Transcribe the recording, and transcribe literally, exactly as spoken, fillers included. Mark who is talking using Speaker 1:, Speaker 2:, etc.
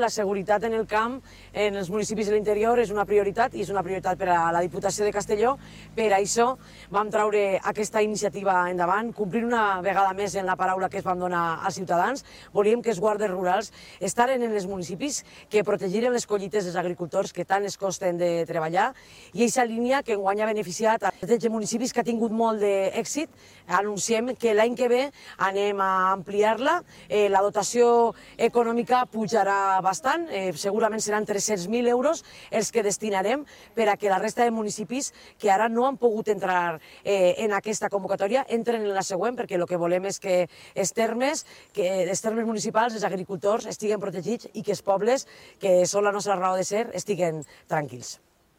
Speaker 1: La seguretat en el camp, en els municipis de l'interior, és una prioritat i és una prioritat per a la Diputació de Castelló. Per això vam treure aquesta iniciativa endavant, complir una vegada més en la paraula que es vam donar als ciutadans. Volíem que els guàrdies rurals estaren en els municipis, que protegiren les collites dels agricultors que tant es costen de treballar, i aquesta línia que enguany ha beneficiat a tretze municipis, que ha tingut molt d'èxit. Anunciem que l'any que ve anem a ampliar-la, la dotació econòmica pujarà bastant, segurament seran tres-cents mil euros els que destinarem per a que la resta de municipis que ara no han pogut entrar en aquesta convocatòria entren en la següent, perquè el que volem és que els termes, que els termes municipals, els agricultors, estiguen protegits i que els pobles, que són la nostra raó de ser, estiguen tranquils.